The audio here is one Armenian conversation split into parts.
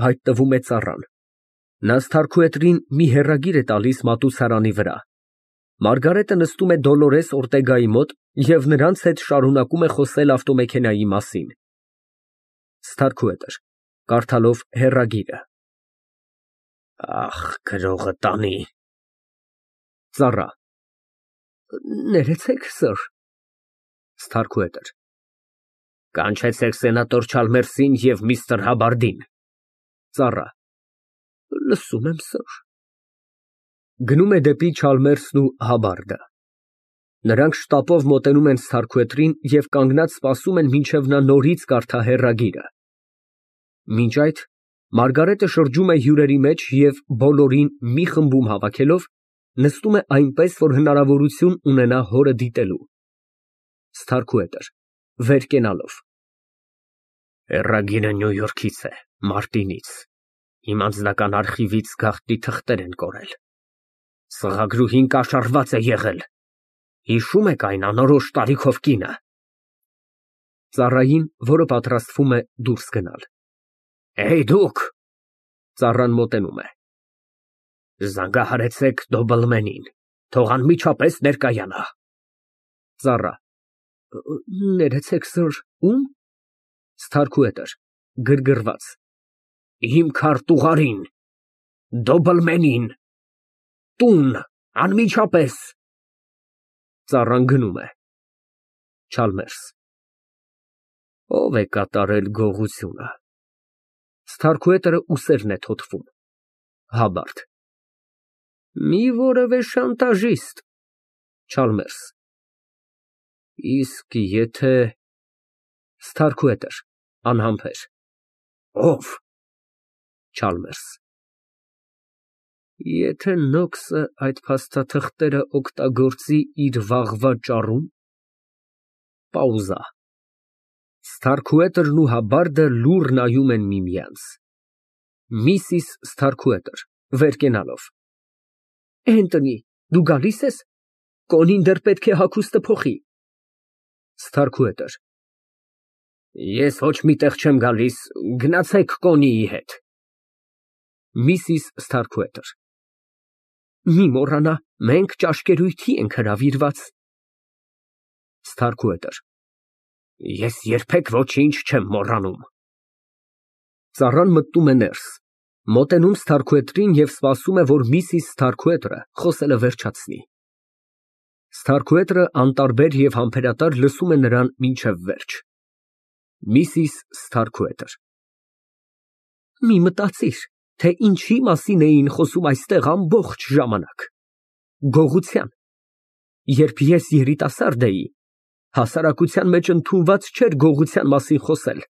հայտնվում է ծառան։ Նա Սթարքուետրին մի հեռագիր է տալիս մատուցարանի վրա։ Մարգարետը նստում է Դոլորես Օրտեգայի մոտ և նրանց հետ շարունակում է խոսել ավտոմեքենայի մասին։ ՍԹԱՐՔՈՒԵՏՐ ֊ (Կարդալով հեռագիրը) Ախ, գրողը տանի։ Ծառա։ Ներեցեք, սըր։ ՍԹԱՐՔՈՒԵՏՐ ֊ Կանչեցեք սենատոր Չալմերսին և միստր Հաբարդին։ Ծառա։ Լսում եմ, սըր։ (Գնում է դեպի Չալմերսն ու Հաբարդը)։ Նրանք շտապով մոտենում են Սթարքուետրին և կանգնած սպասում են, մինչև նա նորից կարդա հեռագիրը։ Մինչ այդ Մարգարետը շրջում է հյուրերի մեջ և բոլորին մի խմբում հավաքելով, նստում է այնպես, որ հնարավորություն ունենա հորը դիտելու։ ՍԹԱՐՔՈՒԵՏՐ ֊ (Վեր կենալով) Հեռագիրը Նյու Յորքից է, Մարտինից, իմ անձնական արխիվից գաղտնի թղթեր են կորել։ Սղագրուհին կաշառված է եղել։ Հիշո՞ւմ եք այն անորոշ տարիքով կինը։ Ծառային, որը պատրաստվում է դուրս գնալ։ Դուք։ Ծառան մոտենում է։ Զանգահարեցեք Դոբլմենին, թող անմիջապես ներկայանա։ Ծառա։ Ներեցեք, սըր, ո՞ւմ։ ՍԹԱՐՔՈՒԵՏՐ ֊ (Գրգռված) Իմ քարտուղարին, Դոբլմենին, տուն, անմիջապես։ Ծառան գնում է։ Չալմերս։ Ո՞վ է կատարել գողությունը։ (Սթարքուետրը ուսերն է թոթվում)։ Հաբարդ։ Մի որևէ շանտաժիստ։ Չալմերս։ Իսկ եթե… ՍԹԱՐՔՈՒԵՏՐ ֊ (Անհամբեր) Ո՞վ։ Չալմերս։ Եթե Նոքսը այդ փաստաթղթերը օգտագործի իր վաղվա ճարում… Պաուզա։ Սթարքուետրն ու Հաբարդը լուռ նայում են միմյանց։ Միսիս Սթարքուետր ֊ (Վեր կենալով) Էնթոնի, դու գալի՞ս ես։ Կոնին դեռ պետք է հագուստը փոխի։ ՍԹԱՐՔՈՒԵՏՐ ֊ Ես ոչ մի տեղ չեմ գալիս, գնացեք Կոնիի հետ։ Միսիս Սթարքուետր ֊ Մի մոռանա, մենք ճաշկերույթի ենք հրավիրված։ ՍԹԱՐՔՈՒԵՏՐ ֊ Ես երբեք ոչինչ չեմ մոռանում։ Ծառան մտնում է ներս, մոտենում Սթարքուետրին և սպասում է, որ միսիս Սթարքուետրը խոսելը վերջացնի։ Սթարքուետրը անտարբեր և համբերատար լսում է նրան մինչև վերջ։ Միսիս Սթարքուետր ֊ Մի մտածիր, թե ինչի մասին էին խոսում այստեղ ամբողջ ժամանակ։ Գողության։ Երբ ես երիտասարդ էի, հասարակության մեջ ընդունված չէր գողության մասին խոսել։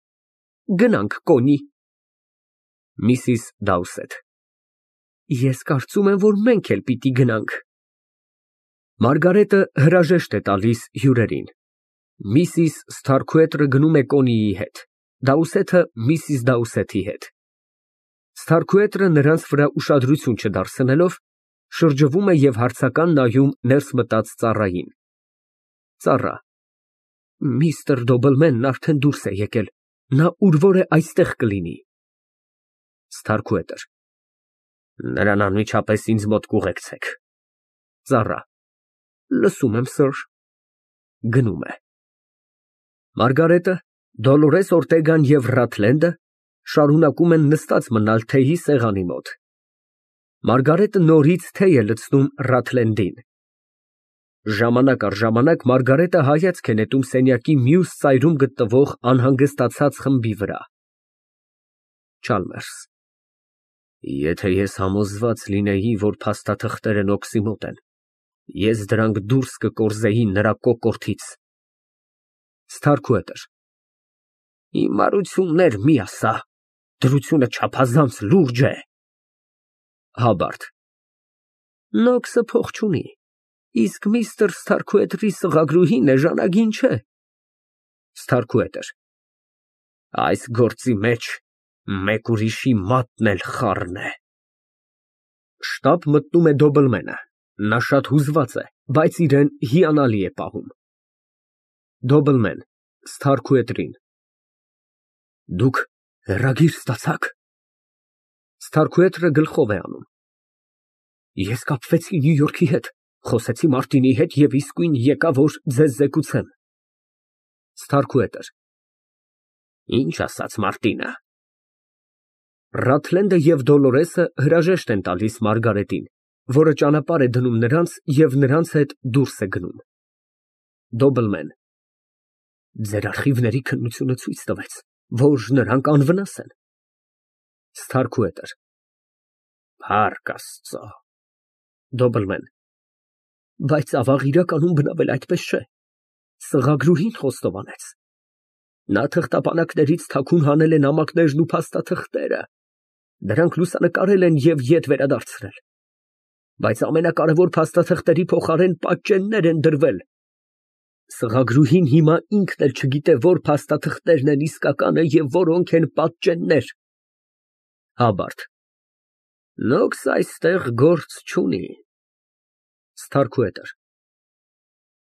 Գնանք Կոնի։ Միսիս Դաուսեթ ֊ Ես կարծում եմ, որ մենք էլ պիտի գնանք։ Մարգարետը հրաժեշտ է տալիս հյուրերին։ Միսիս Սթարքուետրը գնում է Կոնիի հետ, Դաուսեթը միսիս Դաուսեթի հետ։ Սթարքուետրը նրանց վրա ուշադրություն չդարձնելով, շրջվում է և հարցական նայում ներս մտած ծառային։ Ծառա։ Միստր Դոբլմենն արդեն դուրս է եկել, նա ուր որ է այստեղ կլինի։ Սթարքուետր ֊ Նրան անմիջապես ինձ մոտ կուղեկցեք։ Ծառա։ Լսում եմ, սըր։ Գնում է։ Մարգարետը, Դոլորես Օրտեգան և Ռաթլենդը շարունակում են նստած մնալ թեյի սեղանի մոտ։ Մարգարետը նորից թեյ է լցնում Ռաթլենդին։ Ժամանակ առ ժամանակ Մարգարետը հայացք է նետում սենյակի մյուս ծայրում գտնվող անհանգստացած խմբի վրա։ Չալմերս։ Եթե ես համոզված լինեի, որ փաստաթղթերը Նոքսի մոտ են, ես դրանք դուրս կկորզեի նրա կոկորդից։ Սթարքուետր ֊ Հիմարություններ մի ասա, դրությունը չափազանց լուրջ է։ Հաբարդ։ Նոքսը փող չունի, իսկ միստր Սթարքուետրի սղագրուհին էժանագին չէ։ Սթարքուետր ֊ Այս գործի մեջ մեկ ուրիշի մատն էլ խառն է։ Շտապ մտնում է Դոբլմենը, նա շատ հուզված է, բայց իրեն հիանալի է պահում։ Դոբլմեն ֊ (Սթարքուետրին) Դուք հեռագիր ստացա՞ք։ Ստարքուետրը գլխով է անում։ Ես կապվեցի Նյու Յորքի հետ, խոսեցի Մարտինի հետ և իսկույն եկա, որ ձեզ զեկուցեմ։ Ստարքուետր Ինչ ասաց Մարտինը։ Ռաթլենդը և Դոլորեսը հրաժեշտ են տալիս Մարգարետին, որը ճանապարհ է դնում նրանց և նրանց հետ դուրս է գնում։ Դոբլմեն Ձեր արխիվների քննությունը ցույց տվեց, որ նրանք անվնաս են։ Ստարքուետր Փառք Աստծո։ Դոբլմեն Բայց ավաղ իրականում բնավել այդպես չէ։ Սղագրուհին խոստովանեց։ Նա թղթապանակներից թաքուն հանել է նամակներն ու փաստաթղթերը։ Դրանք լուսանկարել են և ետ վերադարձրել։ Բայց ամենակարևոր փաստաթղթերի փոխարեն պատճեններ են դրվել։ Սղագրուհին հիմա ինքն էլ չգիտե, որ փաստաթղթերն են իսկականը և որոնք են պատճեններ։ Հաբարդ Նոքս այստեղ գործ չունի։ Ստարքուետր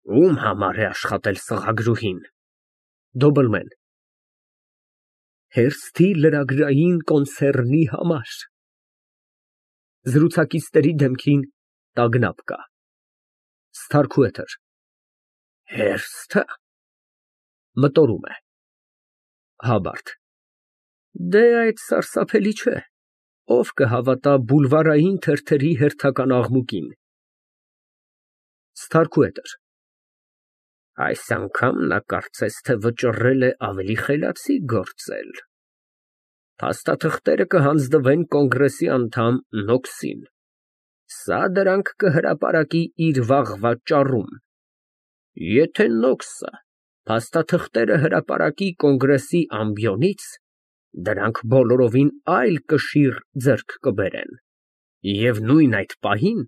Ում համար է աշխատել սղագրուհին։ Դոբլմեն Հերթի լրագրային կոնցեռնի համար։ Զրուցակիցների դեմքին տագնապ կա։ Ստարքուետր Հերթը։ Մտորում է։ Հաբարդ Դե այդ սարսափելի չէ։ Ով կհավատա բուլվարային թերթերի հերթական աղմուկին։ Ստարքուետր Այս անգամ նա կարծես թե վճռել է ավելի խելացի գործել։ Փաստաթղթերը կհանձնվեն կոնգրեսի անդամ Նոքսին։ Սա դրանք կհրապարակի իր վաղվա ճառում։ Եթե Նոքսը փաստաթղթերը հրապարակի կոնգրեսի ամբիոնից, դրանք բոլորովին այլ կշիռ ձեռք կբերեն։ Եվ նույն այդ պահին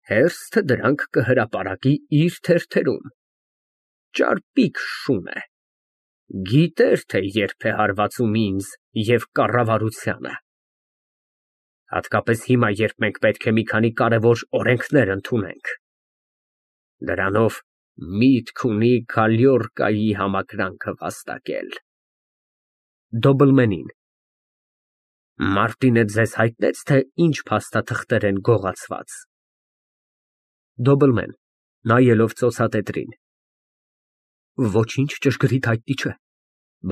Հերթը դրանք կհրապարակի իր թերթերում։ Ճարպիկ շուն է։ Գիտեր, թե երբ է հարվածում ինձ և կառավարությանը։ Հատկապես հիմա, երբ մենք պետք է մի քանի կարևոր օրենքներ ընդունենք։ Դրանով միտք ունի Քալյորկայի համակրանքը վաստակել։ Դոբլմենին Մարտինը ձեզ հայտնեց, թե ինչ փաստաթղթեր են գողացված։ Դոբլմեն (նայելով ծոցատետրին) Ոչինչ ճշգրիտ հայտնի չէ,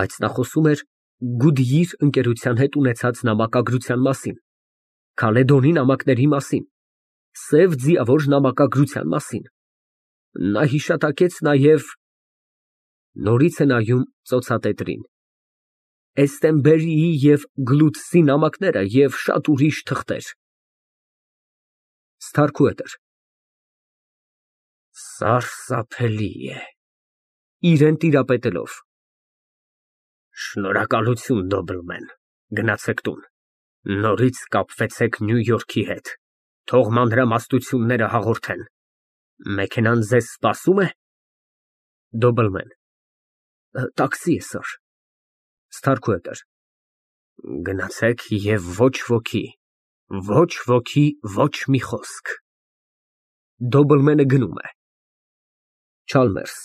բայց նա խոսում էր Գուդյիր ընկերության հետ ունեցած նամակագրության մասին, Քալեդոնի նամակների մասին, Սև ձիավոր նամակագրության մասին։ Նա հիշատակեց նաև (Նորից է նայում ծոցատետրին) Էստեմբերիի և Գլուցի նամակները և շատ ուրիշ թղթեր։ Ստարքուետր Սարսափելի է։ (Իրան տիրապետելով) Շնորհակալություն, Դոբլմեն, գնացեք տուն, նորից կապվեցեք Նյու Յորքի հետ, թող մանրամասնությունները հաղորդեն։ Մեքենան ձեզ սպասո՞ւմ է։ Դոբլմեն Տաքսի է, սըր։ Ստարքուետր Գնացեք և ոչ ոքի, ոչ մի խոսք։ Դոբլմենը գնում է։ Չալմերս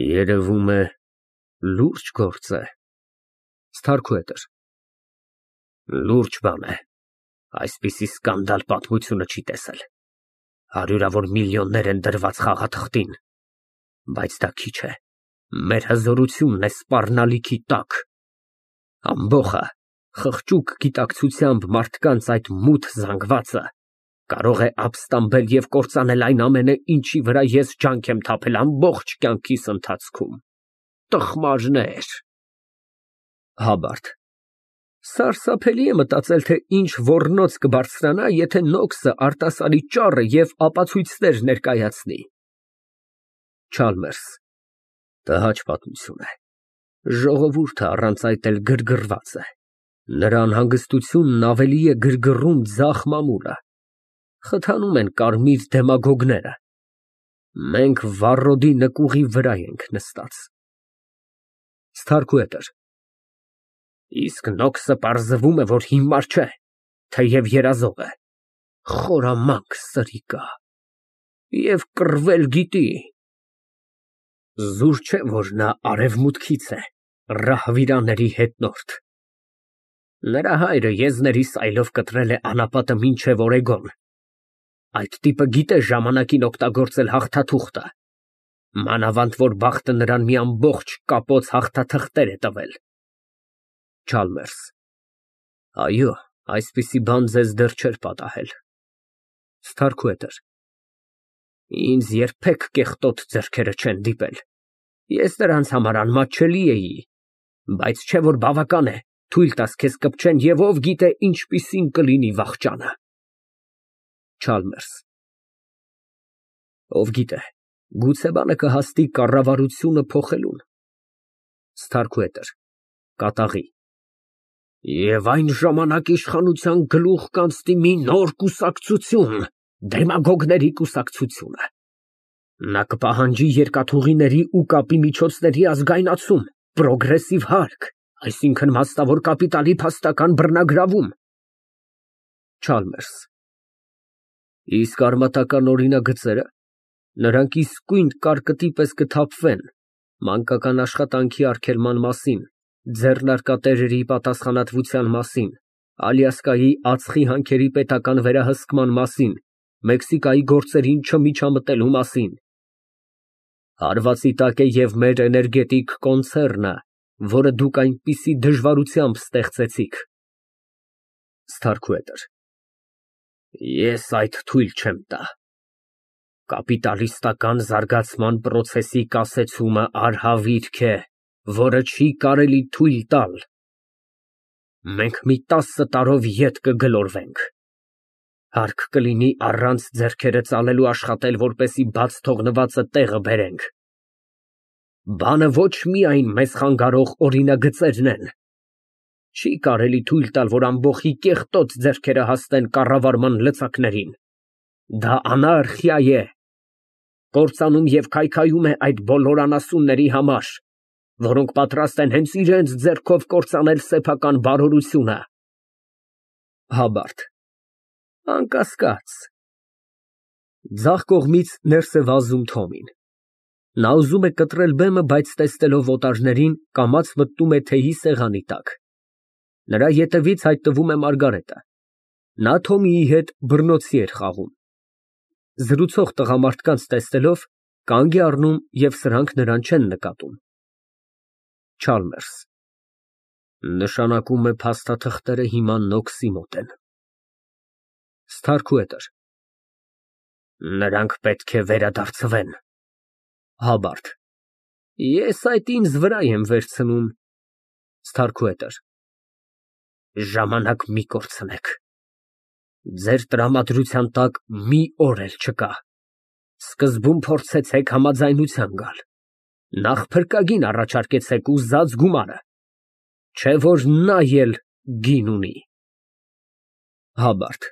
Երևում է լուրջ գործ է։ Ստարքուետր Լուրջ բան է, այսպիսի սկանդալ պատմությունը չի տեսել։ Հարյուրավոր միլիոններ են դրված խաղաթղթին, բայց դա քիչ է, մեր հզորությունն է սպառնալիքի տակ։ Ամբոխը խղճուկ գիտակցությամբ մարդկանց այդ մութ զանգվածը կարող է ապստամբել և կործանել այն ամենը, ինչի վրա ես ջանք եմ թափել ամբողջ կյանքիս ընթացքում։ Տխմարներ։ Հաբարդ Սարսափելի է մտածել, թե ինչ ոռնոց կբարձրանա, եթե Նոքսը արտասարի ճառը և ապացույցներ ներկայացնի։ Չալմերս Տհաճ պատմություն է։ Ժողովուրդը առանց այդ էլ գրգռված է։ Նրա անհանգստությունն ավելի է գրգռում ձախ մամուլը։ Խթանում են կարմիր դեմագոգները։ Մենք վառոդի նկուղի վրա ենք նստած։ Ստարքուետր Իսկ Նոքսը պարզվում է, որ հիմար չէ, թեև երազող է։ Խորամանկ սրիկա։ Եվ կռվել գիտի։ Զուր չէ, որ նա արևմուտքից է, ռահվիրաների հետնորդ։ Նրա հայրը եզների սայլով կտրել է անապատը մինչև Օրեգոն։ Այդ տիպը գիտե ժամանակին օգտագործել հաղթաթուղթը։ Մանավանդ որ բախտը նրան մի ամբողջ կապոց հաղթաթղթեր է տվել։ Չալմերս։ Այո, այսպիսի բան ձեզ դեռ չէր պատահել։ Սթարքուետր։ Ինձ երբեք կեղտոտ ձեռքերը չեն դիպել։ Ես նրանց համար անմատչելի էի, բայց չէ որ բավական է, թույլ տաս քեզ կպչեն և ով գիտե ինչպիսին կլինի վախճանը։ Չալմերս։ Ով գիտե, գուցե բանը կհասնի կառավարությունը փոխելուն։ Սթարքուետր ֊ կատաղի։ Եվ այն ժամանակ իշխանության գլուխ կանցնի մի նոր կուսակցություն, դեմագոգների կուսակցությունը։ Նա կպահանջի երկաթուղիների ու կապի միջոցների ազգայնացում, պրոգրեսիվ հարկ, այսինքն մասնավոր կապիտալի փաստական բռնագրավում։ Չալմերս։ Իսկ արմատական օրինագծերը, նրանք իսկույն կարկտի պես կթափվեն մանկական աշխատանքի արգելման մասին, ձեռնարկատերերի պատասխանատվության մասին, Ալյասկայի ածխի հանքերի պետական վերահսկման մասին, Մեքսիկայի գործերին չմիջամտելու մասին։ Հարվածի տակ է և մեր էներգետիկ կոնցեռնը, որը դուք այնպիսի դժվարությամբ ստեղծեցիք։ Սթարքուետր։ Ես այդ թույլ չեմ տա։ Կապիտալիստական զարգացման պրոցեսի կասեցումը արհավիրք է, որը չի կարելի թույլ տալ։ Մենք մի 10 տարով ետ կգլորվենք։ Հարկ կլինի առանց ձեռքերը ծալելու աշխատել, որպեսզի բաց թողնվածը տեղը բերենք։ Բանը ոչ միայն մեզ խանգարող օրինագծերն են։ Չի կարելի թույլ տալ, որ ամբոխի կեղտոտ ձեռքերը հասնեն կառավարման լծակներին։ Դա անարխիա է։ Կործանում և քայքայում է այդ բոլոր անասունների համար, որոնք պատրաստ են հենց իրենց ձեռքով կործանել սեփական բարօրությունը։ Հաբարտ ֊ Անկասկած։ Ձախ կողմից ներս է վազում Թոմին։ Նա ուզում է կտրել բեմը, բայց տեսնելով օտարներին, կամաց մտնում է թեյի սեղանի տակ։ Նրա ետևից հայտնվում է Մարգարետը։ Նա Թոմիի հետ բռնոցի էր խաղում։ Զրուցող տղամարդկանց տեսնելով, կանգ է առնում և սրանք նրան չեն նկատում։ Չալմերս։ Նշանակում է փաստաթղթերը հիմա Նոքսի մոտ են։ Սթարքուետր։ Նրանք պետք է վերադարձվեն։ Հաբարտ։ Ես այդ ինձ վրա եմ վերցնում։ Սթարքուետր։ Ժամանակ մի կորցնեք։ Ձեր տրամադրության տակ մի օր էլ չկա։ Սկզբում փորձեցեք համաձայնության գալ։ Նախ փրկագին առաջարկեցեք ու զած գումարը։ Չէ որ նա էլ գին ունի։ Հաբարտ։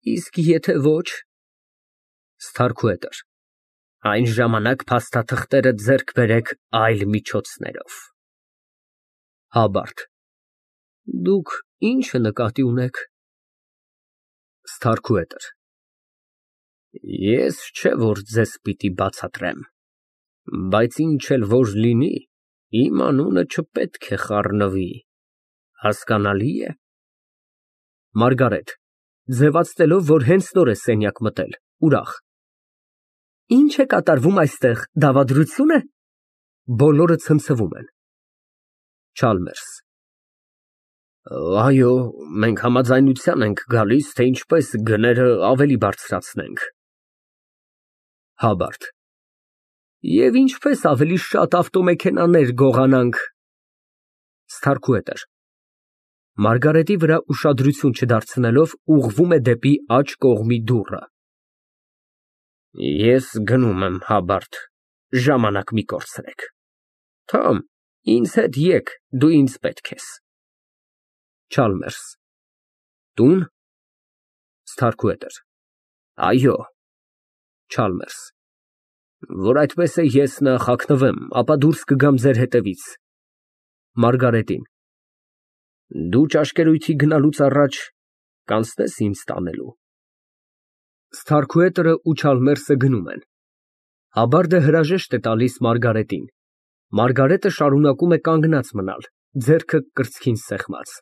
Իսկ եթե ոչ։ Սթարքուետր։ Այն ժամանակ փաստաթղթերը ձեռք բերեք այլ միջոցներով։ Հաբարտ։ Դուք ի՞նչը նկատի ունեք։ Սթարքուետր։ Ես չէ որ ձեզ պիտի բացատրեմ, բայց ինչ էլ որ լինի, իմ անունը չպետք է խառնվի, հասկանալի է։ Մարգարետ ֊ ձևացնելով, որ հենց նոր է սենյակ մտել, ուրախ։ Ինչ է կատարվում այստեղ, դավադրությո՞ւն է։ Բոլորը ցնցվում են։ Չալմերս։ Այո, մենք համաձայնության ենք գալիս, թե ինչպես գները ավելի բարձրացնենք։ Հաբարտ։ Եվ ինչպես ավելի շատ ավտոմեքենաներ գողանանք։ Սթարքուետր։ Մարգարետի վրա ուշադրություն չդարձնելով, ուղղվում է դեպի աջ կողմի դուռը։ Ես գնում եմ, Հաբարտ, ժամանակ մի կորցրեք։ Թոմ, ինձ հետ եկ, դու ինձ պետք ես։ Չալմերս։ Տուն։ Սթարքուետր։ Այո։ Չալմերս։ Որ այդպես է, ես նախ հագնվեմ, ապա դուրս կգամ ձեր հետևից։ Մարգարետին։ Դու ճաշկերույթի գնալուց առաջ կանցնես ինձ տանելու։ Սթարքուետերը ու Չալմերսը գնում են։ Հաբարդը հրաժեշտ է տալիս Մարգարետին։ Մարգարետը շարունակում է կանգնած մնալ, ձեռքը կրծքին սեղմած։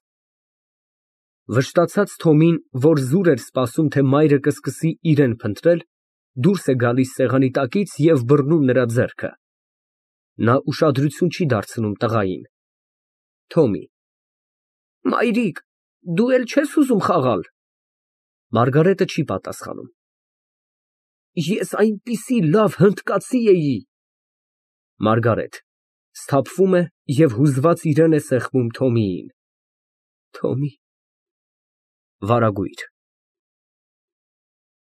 Վշտացած Թոմին, որ զուր էր սպասում, թե մայրը կսկսի իրան փնտրել, դուրս է գալիս սեղանի տակից և բռնում նրա ձեռքը։ Նա ուշադրություն չի դարձնում տղային։ Թոմի Մայրիկ, դու էլ չե՞ս ուզում խաղալ։ Մարգարետը չի պատասխանում։ Ես այնպիսի լավ հնդկացի էի։ ՄԱՐԳԱՐԵՏ ֊ (Սթափվում է և հուզված իրան է սեղմում Թոմիին) Թոմի… վարագույր։